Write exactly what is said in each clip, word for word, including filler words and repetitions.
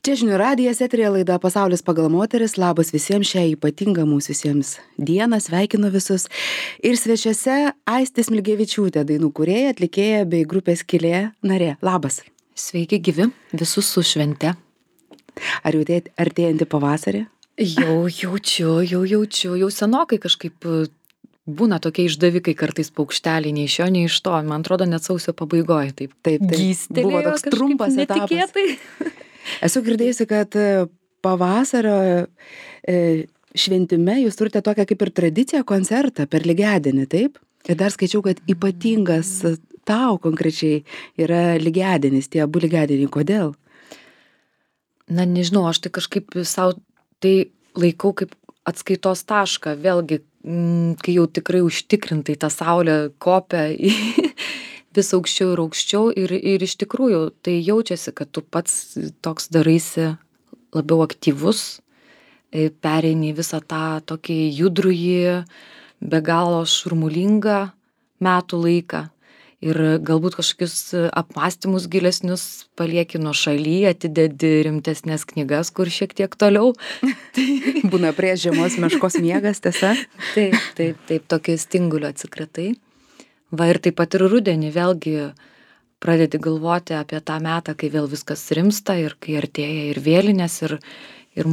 Čia žinių radijas, eterija laida Pasaulis pagal moteris. Labas visiems, šią ypatingą mūsų visiems dieną, sveikinu visus. Ir svečiuose Aistė Smilgevičiūtė, dainų kūrėja, atlikėja bei grupės Skylė narė. Labas. Sveiki gyvi, visus su švente. Ar jautėt artėjantį pavasarį? Jau jaučiu, jau jaučiu, jau senokai kažkaip būna tokie išdavikai kartais paukšteliai, nei iš jo, nei iš to. Man atrodo, net sausio pabaigoje taip. Taip, taip. Gystelėjo Buvo toks kažkaip trumpas netikėtai. etapas. Esu girdėjusi, kad pavasario e, šventime jūs turite tokią kaip ir tradiciją koncertą per lygiadienį, taip? Ir dar skaičiau, kad ypatingas tau konkrečiai yra lygiadienis, tie abu lygiadieniai. Kodėl? Na, nežinau, aš tai kažkaip savo tai laikau kaip atskaitos tašką. Vėlgi, m, kai jau tikrai užtikrintai ta saulė kopia į vis aukščiau ir aukščiau ir, ir iš tikrųjų tai jaučiasi, kad tu pats toks daraisi labiau aktyvus, pereini visą tą tokį judrųjį, be galo šurmulingą metų laiką ir galbūt kažkokius apmąstymus gilesnius palieki nuo šaly, atidedi rimtesnės knygas, kur šiek tiek toliau. Būna prie žiemos meškos miegas, tiesa? Taip, taip, taip, tokio stingulio atsikratai. Va ir taip pat ir rudenį vėlgi pradedi galvoti apie tą metą, kai vėl viskas rimsta ir kai artėja ir vėlinės ir, ir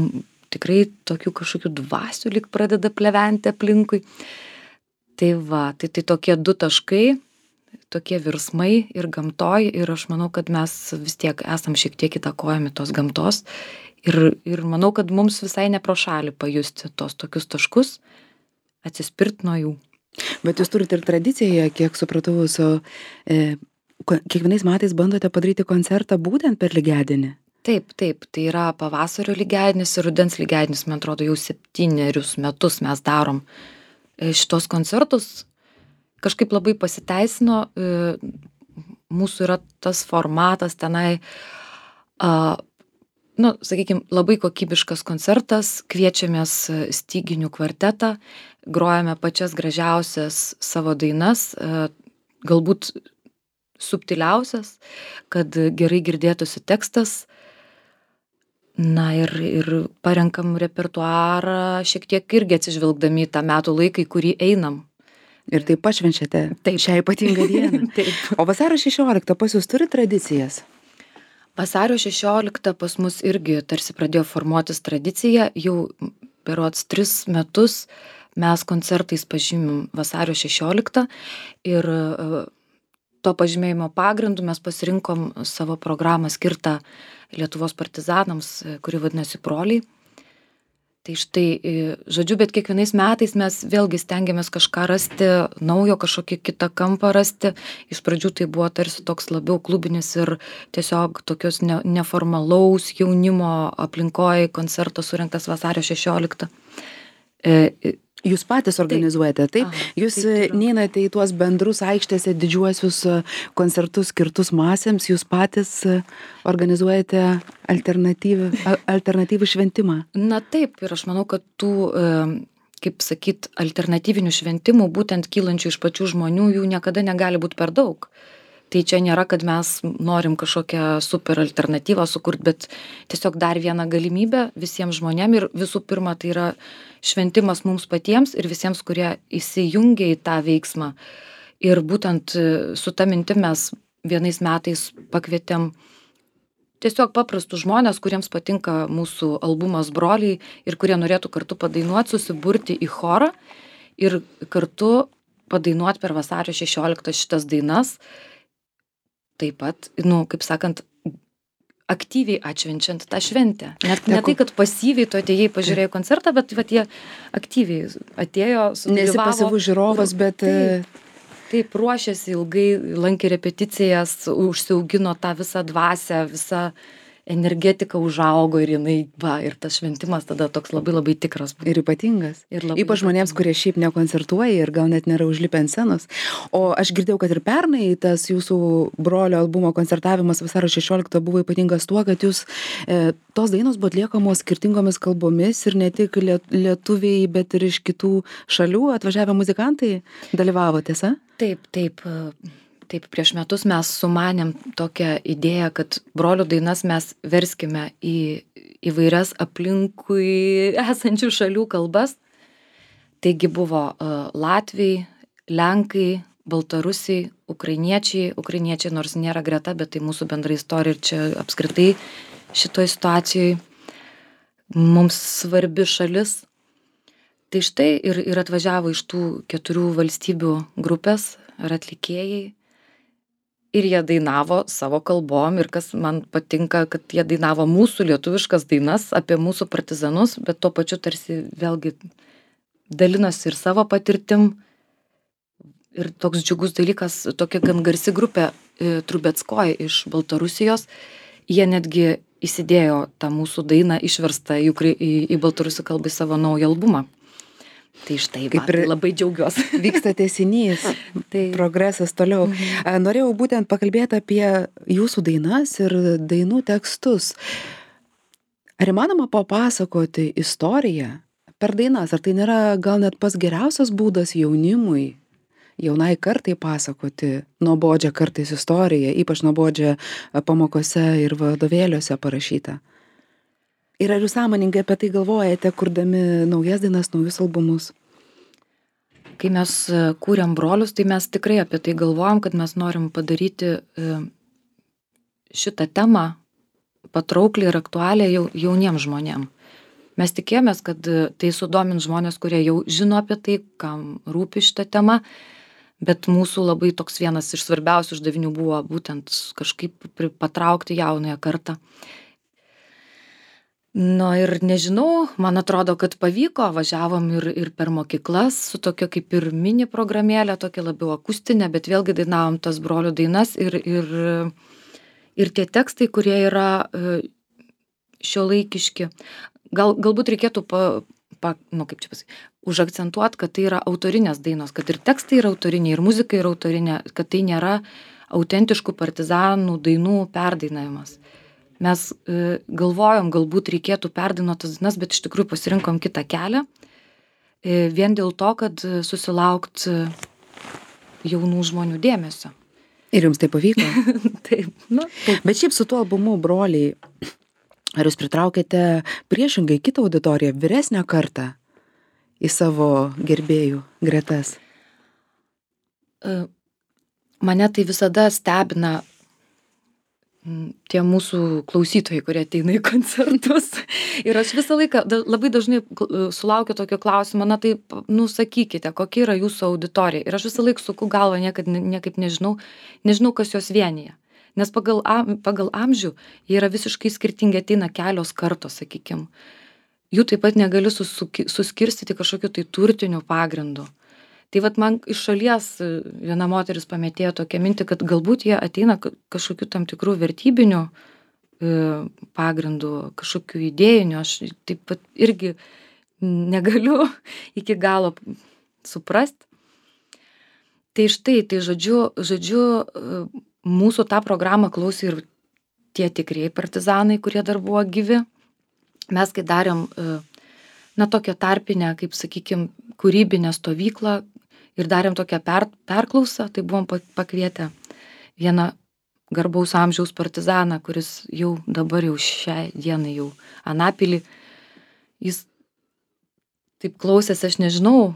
tikrai tokių kažkokių dvasių lyg pradeda pleventi aplinkui. Tai va, tai, tai tokie du taškai, tokie virsmai ir gamtoj ir aš manau, kad mes vis tiek esam šiek tiek įtakojami tos gamtos ir, ir manau, kad mums visai ne pro šalį pajusti tos tokius taškus, atsispirt nuo jų. Bet jūs turite ir tradiciją, kiek supratau, su, e, kiekvienais metais bandote padaryti koncertą būtent per lygiadienį. Taip, taip, tai yra pavasario lygiadienis ir rudens lygiadienis, man atrodo, jau septynerius metus mes darom šitos koncertus. Kažkaip labai pasiteisino, e, mūsų yra tas formatas tenai, a, nu, sakykime, labai kokybiškas koncertas, kviečiamės styginių kvartetą, grojame pačias gražiausias savo dainas, galbūt subtiliausias, kad gerai girdėtųsi tekstas. Na ir, ir parenkam repertuarą šiek tiek irgi atsižvelgdami į tą metų laiką, į kurį einam. Ir taip pašvenčiate šią ypatingą dieną. O vasario šešioliktą pas jūs turi tradicijas? Vasario šešioliktą pas mus irgi tarsi pradėjo formuotis tradicija, jau berods tris metus mes koncertais pažymim vasario šešioliktą ir to pažymėjimo pagrindu mes pasirinkom savo programą skirtą Lietuvos partizanams, kuri vadinasi Broliai. Tai štai, žodžiu, bet kiekvienais metais mes vėlgi stengiamės kažką rasti, naujo kažkokį kitą kampą rasti. Iš pradžių tai buvo tarsi toks labiau klubinis ir tiesiog tokios ne, neformalaus jaunimo aplinkoje koncertas surinktas vasario šešioliktą. E, Jūs patys organizuojate, taip? Aha, jūs taip neinate į tuos bendrus aikštėse didžiuosius koncertus skirtus masėms, jūs patys organizuojate alternatyvų, alternatyvų šventimą. Na taip, ir aš manau, kad tų, kaip sakyt, alternatyvinių šventimų, būtent kylančių iš pačių žmonių, jų niekada negali būti per daug. Tai čia nėra, kad mes norim kažkokią super alternatyvą sukurti, bet tiesiog dar vieną galimybę visiems žmonėm ir visų pirma tai yra šventimas mums patiems ir visiems, kurie įsijungia į tą veiksmą. Ir būtent su ta mintim mes vienais metais pakvietėm tiesiog paprastus žmonės, kuriems patinka mūsų albumas Broliai ir kurie norėtų kartu padainuoti, susiburti į chorą ir kartu padainuoti per vasario šešioliktą šitas dainas. Taip pat, nu, kaip sakant, aktyviai atšvenčiant tą šventę. Net ne tai, kad pasyviai tu atėjai pažiūrėjai koncertą, bet vat, jie aktyviai atėjo, sudalyvavo. Nesi pasyvus žiūrovas, bet... Taip, taip, ruošėsi ilgai, lankė repeticijas, užsiaugino tą visą dvasią, visą energetika užaugo ir jinai, va, ir tas šventimas tada toks labai labai tikras. Ir ypatingas. Ir labai Ypač žmonėms, kurie šiaip nekoncertuoja ir gal net nėra užlipę ant scenos. O aš girdėjau, kad ir pernai tas jūsų brolio albumo koncertavimas vasario šešioliktą buvo ypatingas tuo, kad jūs e, tos dainos buvo atliekamos skirtingomis kalbomis ir ne tik lietuviai, bet ir iš kitų šalių atvažiavę muzikantai dalyvavo, tiesa? Taip, taip. Taip, prieš metus mes sumanėm tokią idėją, kad brolių dainas mes verskime į įvairias aplinkui esančių šalių kalbas. Taigi buvo uh, latviai, lenkai, baltarusiai, ukrainiečiai, ukrainiečiai nors nėra greta, bet tai mūsų bendra istorija ir čia apskritai šitoj situacijoje mums svarbi šalis. Tai štai ir, ir atvažiavo iš tų keturių valstybių grupės ar atlikėjai ir jie dainavo savo kalbom ir kas man patinka, kad jie dainavo mūsų lietuviškas dainas apie mūsų partizanus, bet tuo pačiu tarsi vėlgi dalinosi ir savo patirtim. Ir toks džiugus dalykas, tokia gan garsi grupė e, Trubetskoj iš Baltarusijos, jie netgi įsidėjo tą mūsų dainą išverstą į, į, į baltarusių kalbą į savo naują albumą. Tai štai, kaip ir labai džiaugiuosi. Vyksta tęsinys, tai progresas toliau. Mhm. Norėjau būtent pakalbėti apie jūsų dainas ir dainų tekstus. Ar įmanoma papasakoti istoriją per dainas? Ar tai nėra gal net pats geriausias būdas jaunimui, jaunai kartai pasakoti nuobodžią kartais istoriją, ypač nuobodžią pamokose ir vadovėliuose parašytą? Ir ar jūs sąmoningai apie tai galvojate, kurdami naujas dainas, naujus albumus? Kai mes kūrėm brolius, tai mes tikrai apie tai galvojam, kad mes norim padaryti šitą temą patraukliai ir aktualią jauniems žmonėm. Mes tikėjomės, kad tai sudomins žmonės, kurie jau žino apie tai, kam rūpi šitą temą, bet mūsų labai toks vienas iš svarbiausių uždavinių buvo būtent kažkaip patraukti jaunąją kartą. Nu ir nežinau, man atrodo, kad pavyko, važiavom ir, ir per mokyklas su tokia kaip ir mini programėlė, tokia labiau akustinė, bet vėlgi dainavom tas brolių dainas ir, ir, ir tie tekstai, kurie yra šiuolaikiški. Gal, galbūt reikėtų pa, pa, nu, kaip čia pasakyti, užakcentuoti, kad tai yra autorinės dainos, kad ir tekstai yra autoriniai, ir muzika yra autorinė, kad tai nėra autentiškų partizanų dainų perdainavimas. Mes e, galvojom, galbūt reikėtų perdainuoti tas dainas, bet iš tikrųjų pasirinkom kitą kelią, e, vien dėl to, kad susilaukt jaunų žmonių dėmesio. Ir jums tai pavyko? Taip, nu. Taip. Bet šiaip su tuo albumu, broliai, ar jūs pritraukėte priešingai kitą auditoriją, vyresnę kartą į savo gerbėjų gretas? E, mane tai visada stebina tie mūsų klausytojai, kurie ateina į koncertus. Ir aš visą laiką labai dažnai sulaukiu tokio klausimo, na tai, nu, sakykite, kokia yra jūsų auditorija. Ir aš visą laiką suku galvą, niekad, niekaip nežinau, nežinau, kas jos vienyje. Nes pagal, pagal amžių jie yra visiškai skirtingi, ateina kelios kartos, sakykim. Jų taip pat negali suskirstyti kažkokiu tai turtiniu pagrindu. Tai vat man iš šalies viena moteris pametėjo tokią mintį, kad galbūt jie ateina kažkokiu tam tikrų vertybinių pagrindų, kažkokių idėjinių. Aš taip pat irgi negaliu iki galo suprast. Tai štai, tai žodžiu, žodžiu, mūsų tą programą klausė ir tie tikrieji partizanai, kurie dar buvo gyvi. Mes kai darėm, na, tokią tarpinę, kaip sakykim, kūrybinę stovyklą, ir darėm tokią per, perklausą, tai buvom pakvietę vieną garbaus amžiaus partizaną, kuris jau dabar jau šią dieną jau Anapilį. Jis taip klausėsi, aš nežinau,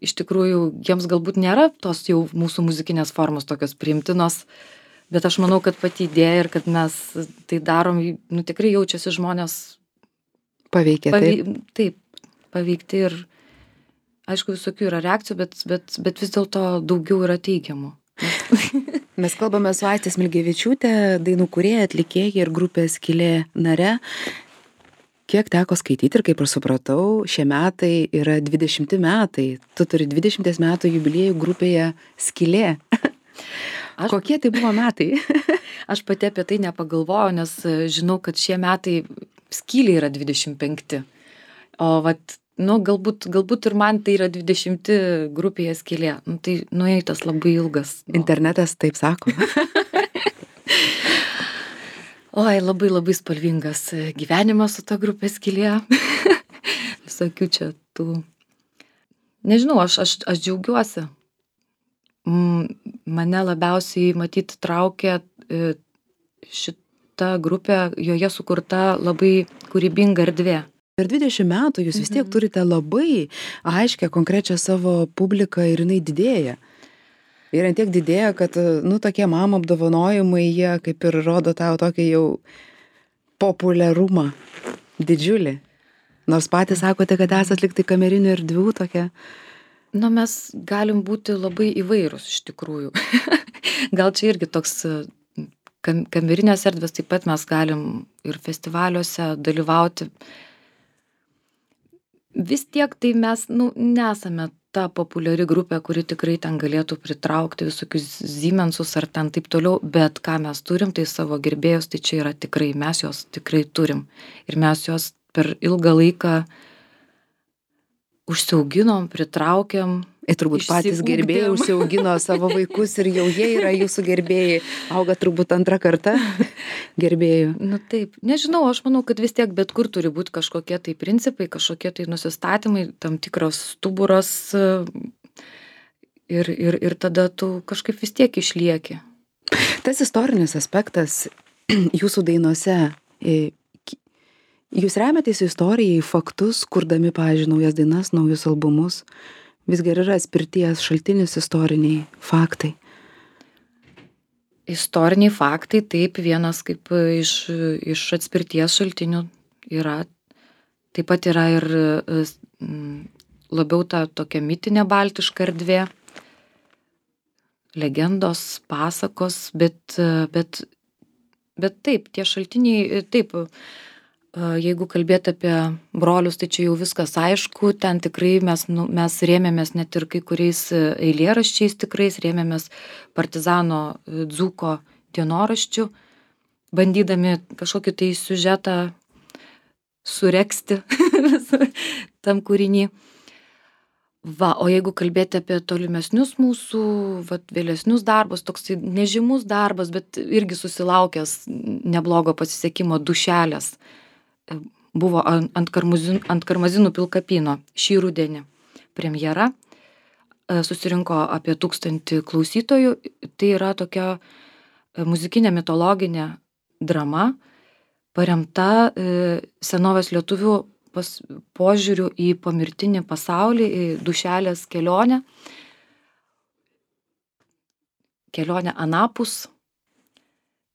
iš tikrųjų jiems galbūt nėra tos jau mūsų muzikinės formos tokios priimtinos, bet aš manau, kad pati idėja ir kad mes tai darom, nu tikrai jaučiasi žmonės paveikė, pavei, taip. Taip, paveikti ir aišku, visokių yra reakcijų, bet, bet, bet vis dėlto daugiau yra teigiamų. Mes kalbame su Aiste Smilgevičiūte, dainų kūrėja, atlikėja ir grupės Skylė nare. Kiek teko skaityti ir kaip ir supratau, šie metai yra dvidešimti metai. Tu turi dvidešimties metų jubiliejų grupėje Skylė. Aš, Kokie tai buvo metai? Aš pati apie tai nepagalvojau, nes žinau, kad šie metai Skylė yra dvidešimt penkti. O vat nu, galbūt, galbūt ir man tai yra dvidešimti grupėje Skylė. Nu, tai nueitas labai ilgas. Nu. Internetas taip sako. Oi, labai labai spalvingas gyvenimas su ta grupė Skylė. Visokių čia tų. Nežinau, aš, aš, aš džiaugiuosi. mane labiausiai matyt traukia šita grupė, joje sukurta labai kūrybinga erdvė. Per dvidešimt metų jūs vis tiek Mhm. turite labai aiškę, konkrečią savo publiką ir jinai didėja. Ir ant tiek didėja, kad, nu, tokie mamo apdovanojimai, jie kaip ir rodo tau tokį jau populiarumą didžiulį. Nors patys sakote, kad esat liktai kamerinių erdvių tokia. Nu, mes galim būti labai įvairūs iš tikrųjų. Gal čia irgi toks kam, kamerinės erdvės, taip pat mes galim ir festivaliuose dalyvauti. Vis tiek tai mes, nu, nesame ta populiari grupė, kuri tikrai ten galėtų pritraukti visokius Siemensus ar ten taip toliau, bet ką mes turim, tai savo gerbėjus, tai čia yra tikrai, mes juos tikrai turim. Ir mes juos per ilgą laiką užsiauginom, pritraukiam. Ir turbūt patys gerbėjai užsiaugino savo vaikus ir jau jie yra jūsų gerbėjai. Auga turbūt antrą kartą gerbėjų. Nu taip, nežinau, aš manau, kad vis tiek bet kur turi būti kažkokie tai principai, kažkokie tai nusistatymai, tam tikras stuburas ir, ir, ir tada tu kažkaip vis tiek išlieki. Tas istorinis aspektas jūsų dainose, jūs remiatės istorijai, faktus, kurdami, pavyzdžiui, naujas dainas, naujus albumus. Visgi yra atspirties šaltinis istoriniai faktai. Istoriniai faktai, taip, vienas kaip iš, iš atspirties šaltinių yra. Taip pat yra ir labiau ta tokia mitinė baltiška erdvė, legendos, pasakos, bet, bet, bet taip, tie šaltiniai, taip, jeigu kalbėti apie brolius, tai čia jau viskas aišku, ten tikrai mes, nu, mes rėmėmės net ir kai kuriais eilėraščiais tikrais, rėmėmės partizano Dzūko dienoraščių, bandydami kažkokį tai siužetą suregzti tam kūrinį. Va, o jeigu kalbėti apie tolimesnius mūsų, va, vėlesnius darbus, toks nežymus darbas, bet irgi susilaukęs neblogo pasisekimo Dušelės, buvo ant karmazinų, ant karmazinų pilkapyno šį rudenį premjera, susirinko apie tūkstantį klausytojų, tai yra tokia muzikinė mitologinė drama, paremta senovės lietuvių pas, požiūriu į pomirtinį pasaulį, į Dušelės kelionę, kelionę anapus.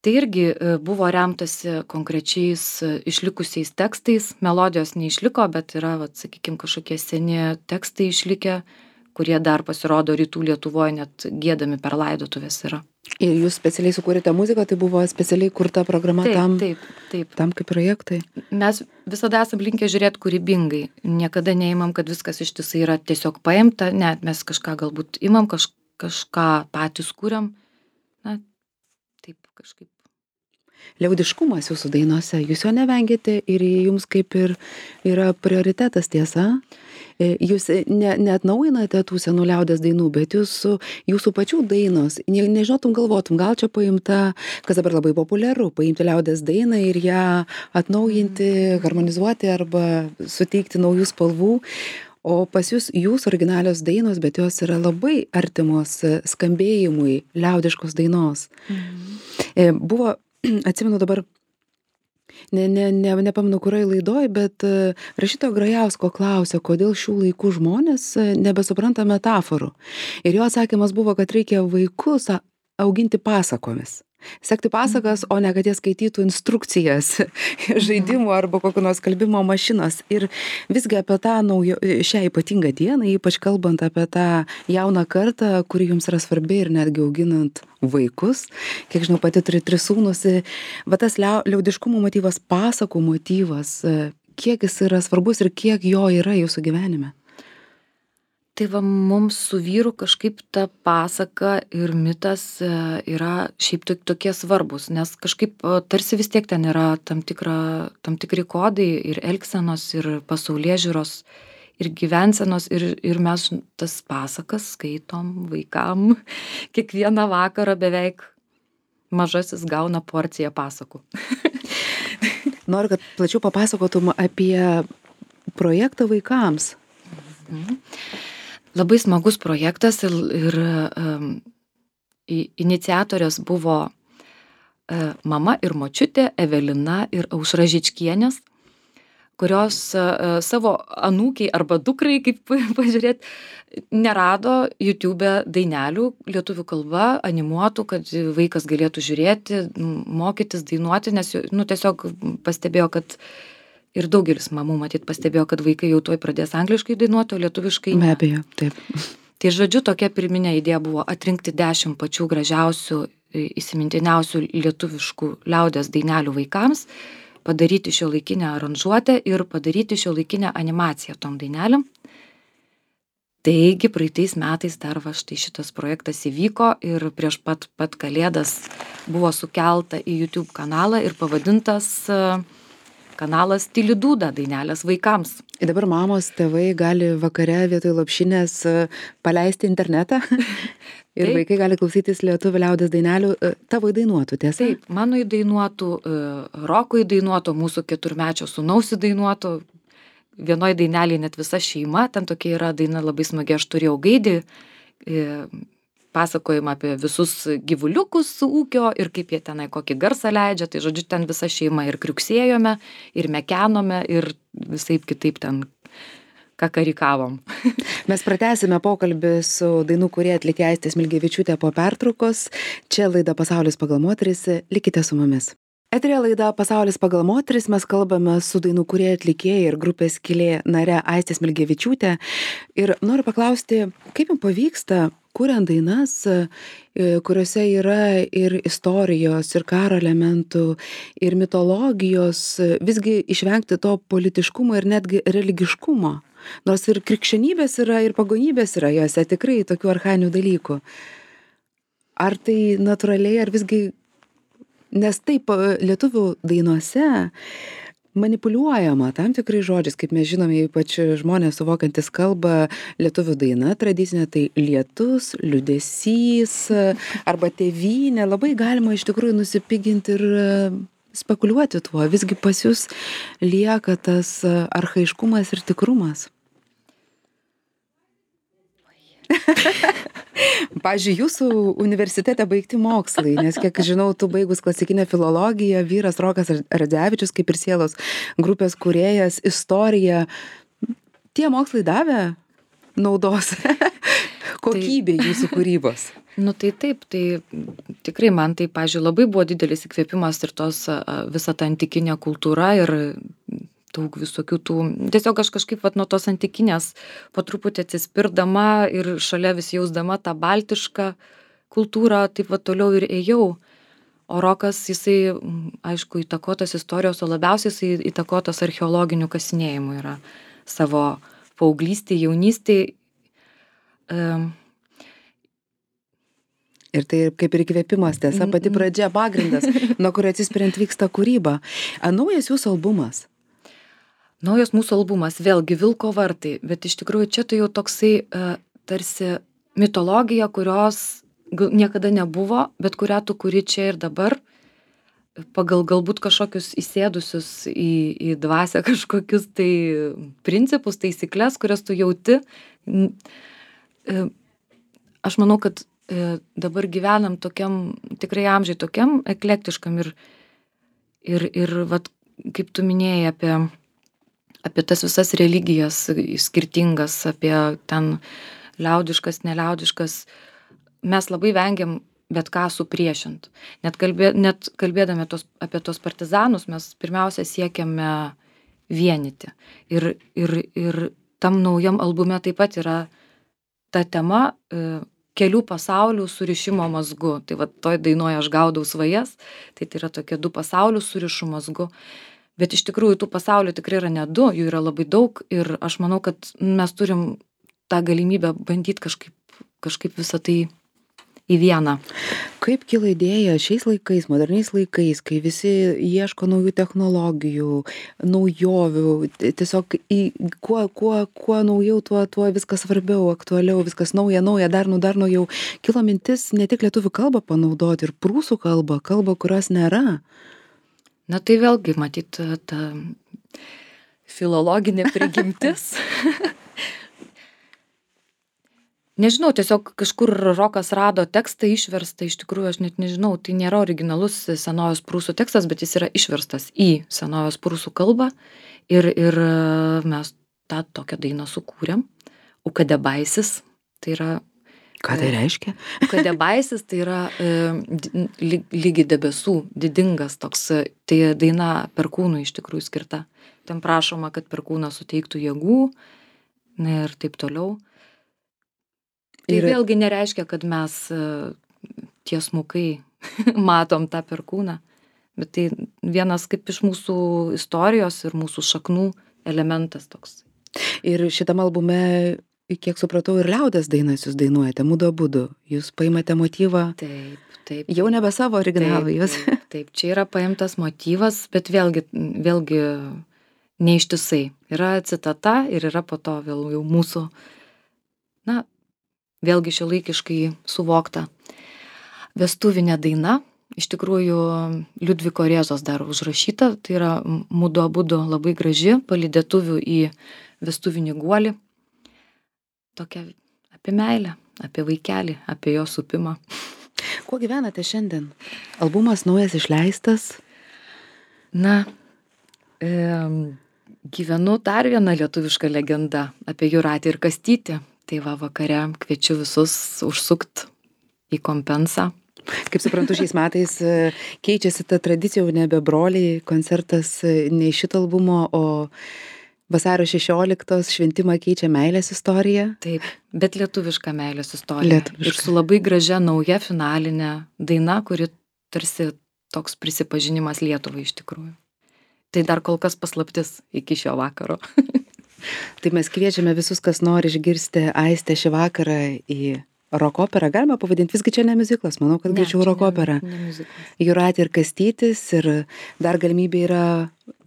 Tai irgi buvo remtasi konkrečiais išlikusiais tekstais, melodijos neišliko, bet yra, vat, sakykime, kažkokie seni tekstai išlikę, kurie dar pasirodo rytų Lietuvoje, net giedami per laidotuvės yra. Ir jūs specialiai sukūrėte muziką, tai buvo specialiai kurta programa taip, tam, taip, taip. tam kaip projektai? Mes visada esam linkę žiūrėti kūrybingai, niekada neimam, kad viskas ištisai yra tiesiog paimta, net mes kažką galbūt imam, kaž, kažką patys kūriam, na, taip kažkaip. Liaudiškumas jūsų dainose, jūs jo nevengėte ir jums kaip ir yra prioritetas, tiesa? Jūs ne, neatnaujinate tų senų liaudės dainų, bet jūsų, jūsų pačių dainos, ne, nežinotum, galvotum, gal čia paimta, kas dabar labai populiaru, paimti liaudės dainą ir ją atnaujinti, harmonizuoti arba suteikti naujų spalvų. O pas jūs, jūs originalios dainos, bet jos yra labai artimos skambėjimui liaudiškos dainos. Mhm. Buvo, atsimenu dabar, ne, ne, ne, nepamenu, kurioje laidoje, bet rašytojo Grajausko klausė, kodėl šių laikų žmonės nebesupranta metaforų. Ir jo atsakymas buvo, kad reikia vaikus auginti pasakomis. Sekti pasakas, o ne kad jie skaitytų instrukcijas žaidimų arba kokio nors kalbimo mašinos. Ir visgi apie tą naujo, šią ypatingą dieną, ypač kalbant apie tą jauną kartą, kuri jums yra svarbi ir netgi auginant vaikus. Kiek žinau, pati turi tris sūnus. Va tas liaudiškumo motyvas, pasakų motyvas, kiek jis yra svarbus ir kiek jo yra jūsų gyvenime? Tai va, mums su vyru kažkaip ta pasaka ir mitas yra šiaip tokie svarbus, nes kažkaip tarsi vis tiek ten yra tam, tikra, tam tikri kodai ir elgsenos, ir pasaulėžiūros, ir gyvensenos, ir, ir mes tas pasakas skaitom vaikam. Kiekvieną vakarą beveik mažasis gauna porciją pasakų. Noriu, kad plačiau papasakotum apie projektą vaikams. Mhm. Labai smagus projektas ir, ir um, iniciatorės buvo uh, mama ir močiutė Evelina ir Aušra Žičkienės, kurios uh, savo anūkiai arba dukrai, kaip pažiūrėt, nerado YouTube dainelių lietuvių kalba, animuotų, kad vaikas galėtų žiūrėti, mokytis, dainuoti, nes nu, tiesiog pastebėjo, kad ir daugelis mamų matyt pastebėjo, kad vaikai jau tuoj pradės angliškai dainuoti, o lietuviškai ne. Be abejo, taip. Tai žodžiu, tokia pirminė idėja buvo atrinkti dešimt pačių gražiausių, įsimintiniausių lietuviškų liaudies dainelių vaikams, padaryti šiuolaikinę aranžuotę ir padaryti šiuolaikinę animaciją tom dainelėm. Taigi praeitais metais dar va štai šitas projektas įvyko ir prieš pat, pat kalėdas buvo sukelta į YouTube kanalą ir pavadintas kanalas Tyli dūda dainelės vaikams. Ir dabar mamos, tėvai gali vakare vietoj lopšinės paleisti internetą ir taip. Vaikai gali klausytis lietuvių liaudies dainelių, tavo įdainuotų, tiesa? Taip, mano įdainuotų, Roko įdainuotų, mūsų keturmečio sūnaus įdainuotų. Vienoje dainelėje net visa šeima, ten tokia yra daina labai smagi, aš turėjau gaidį, pasakojimą apie visus gyvuliukus ūkio ir kaip jie tenai kokį garsą leidžia, tai žodžiu, ten visa šeima ir kriuksėjome, ir mekenome, ir visaip kitaip ten kakarikavom. Mes pratęsime pokalbį su dainų kūrėja atlikėja Aistė Smilgevičiūtė po pertraukos. Čia laida Pasaulis pagal moteris, likite su mumis. Eteryje laida Pasaulis pagal moteris, mes kalbame su dainų kūrėja atlikėja ir grupės Skylė nare Aistė Smilgevičiūtė. Ir noriu paklausti, kaip jums pavyksta, kuriant dainas, kuriuose yra ir istorijos, ir karo elementų, ir mitologijos, visgi išvengti to politiškumo ir netgi religiškumo. Nors ir krikščionybės yra, ir pagonybės yra jose, tikrai tokių archainių dalykų. Ar tai natūraliai, ar visgi... Nes taip lietuvių dainuose manipuliuojama tam tikrai žodžiais, kaip mes žinome, ypač žmonės suvokiantis kalbą, lietuvių daina tradicinė, tai lietus, liūdesys arba tėvynė, labai galima iš tikrųjų nusipiginti ir spekuliuoti tuo, visgi pas jūs lieka tas archaiškumas ir tikrumas. Pavyzdžiui, jūsų universitete baigti mokslai, nes kiek žinau, tu baigus klasikinę filologiją, vyras Rokas Radzevičius, kaip ir sielos grupės kūrėjas, istorija, tie mokslai davė naudos kokybė tai, jūsų kūrybos? Nu tai taip, tai tikrai man tai, pavyzdžiui, labai buvo didelis įkvėpimas ir tos visa ta antikinė kultūra ir daug visokių tų, tiesiog aš kažkaip vat, nuo tos antikinės po truputį atsispirdama ir šalia vis jausdama tą baltišką kultūrą, taip vat toliau ir ėjau. O Rokas, jisai, aišku, įtakotas istorijos, o labiausiai jisai įtakotas archeologinių kasinėjimų yra savo paauglystėj, jaunystėj. Um, Ir tai kaip ir įkvėpimas, tiesa, pati pradžia, pagrindas, nuo kurio atsispiriant vyksta kūryba. A, naujas jūsų albumas? Naujas mūsų albumas, vėlgi Vilko vartai, bet iš tikrųjų čia tai jau toksai uh, tarsi mitologija, kurios niekada nebuvo, bet kurią tu kuri čia ir dabar, pagal galbūt kažkokius įsėdusius į, į dvasią kažkokius tai principus, taisyklės, kurias tu jauti. Uh, aš manau, kad uh, dabar gyvenam tokiam, tikrai amžiai tokiam eklektiškam ir, ir, ir vat, kaip tu minėjai apie apie tas visas religijas skirtingas, apie ten liaudiškas, neliaudiškas, mes labai vengiam bet ką supriešint. Net, kalbė, net kalbėdami tos, apie tos partizanus, mes pirmiausia siekiame vienyti. Ir, ir, ir tam naujam albume taip pat yra ta tema e, kelių pasaulių surišimo mazgu. Tai va toj dainoje aš gaudau svajas, tai tai yra tokie du pasaulių surišų mazgu. Bet iš tikrųjų tų pasaulių tikrai yra ne du, jų yra labai daug ir aš manau, kad mes turim tą galimybę bandyti kažkaip, kažkaip visą tai į vieną. Kaip kilo idėja šiais laikais, moderniais laikais, kai visi ieško naujų technologijų, naujovių, tiesiog į, kuo, kuo, kuo naujau, tuo, tuo viskas svarbiau, aktualiau, viskas nauja, nauja, dar, nu, dar naujau. Kilo mintis ne tik lietuvių kalbą panaudoti ir prūsų kalbą, kalbą, kurios nėra. Na tai vėlgi, matyt, ta filologinė prigimtis. Nežinau, tiesiog kažkur Rokas rado tekstą išverstą, iš tikrųjų aš net nežinau, tai nėra originalus senovės prūsų tekstas, bet jis yra išverstas į senovės prūsų kalbą ir, ir mes tą tokią dainą sukūrėm. Ukadebaisis, tai yra... Ką tai reiškia? Ukadebaisis tai yra e, lygi debesų, didingas toks, tai daina perkūnui iš tikrųjų skirta. Ten prašoma, kad perkūnas suteiktų jėgų, na ir taip toliau. Tai ir... vėlgi nereiškia, kad mes tiesmukai matom tą perkūną, bet tai vienas kaip iš mūsų istorijos ir mūsų šaknų elementas toks. Ir šitam albume, kiek supratau, ir liaudies dainas jūs dainuojate, mudu abudu. Jūs paimate motyvą. Taip, taip. Jau nebe savo originalą jūs. Taip, taip, čia yra paimtas motyvas, bet vėlgi, vėlgi neištisai. Yra citata ir yra po to vėl jau mūsų, na, vėlgi šiuolaikiškai suvokta vestuvinė daina, iš tikrųjų Liudviko Rėzos dar užrašyta, tai yra mudu abudu labai graži, palydėtuvių į vestuvinį guolį, tokia apie meilę, apie vaikelį, apie jo supimą. Kuo gyvenate šiandien? Albumas naujas išleistas? Na, e, gyvenu dar vieną lietuvišką legendą apie Jūratę ir Kastytį. Tai va, vakare kviečiu visus užsukt į Kompensą. Kaip suprantu, šiais metais keičiasi ta tradicija, jau nebe broliai, koncertas ne iš šito albumo, o vasario šešioliktos šventimą keičia meilės istorija. Taip, bet lietuviška meilės istorija. Lietuviška. Ir su labai gražia nauja finalinė daina, kuri tarsi toks prisipažinimas Lietuvai iš tikrųjų. Tai dar kol kas paslaptis iki šio vakaro. Tai mes kviečiame visus, kas nori išgirsti Aistę šį vakarą į rokoperą. Galima pavadinti, visgi čia ne miuziklas, manau, kad greičiau rokoperą. Jūratė ir Kastytis, ir dar galimybė yra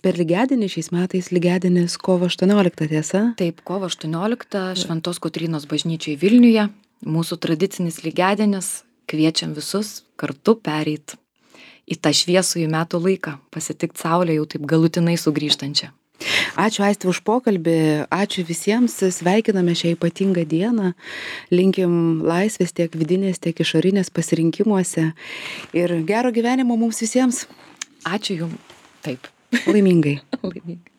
per lygiadienį šiais metais, lygiadienis kovo aštuonioliktą, tiesa? Taip, kovo aštuonioliktą Šventos Kotrynos bažnyčiai Vilniuje. Mūsų tradicinis lygiadienis, kviečiam visus kartu pereit į tą šviesųjį metų laiką, pasitikti saulę jau taip galutinai sugrįžtančią. Ačiū Aistė už pokalbį, ačiū visiems, sveikiname šią ypatingą dieną, linkim laisvės tiek vidinės, tiek išorinės pasirinkimuose ir gero gyvenimo mums visiems. Ačiū jums. Taip. Laimingai. Laimingai.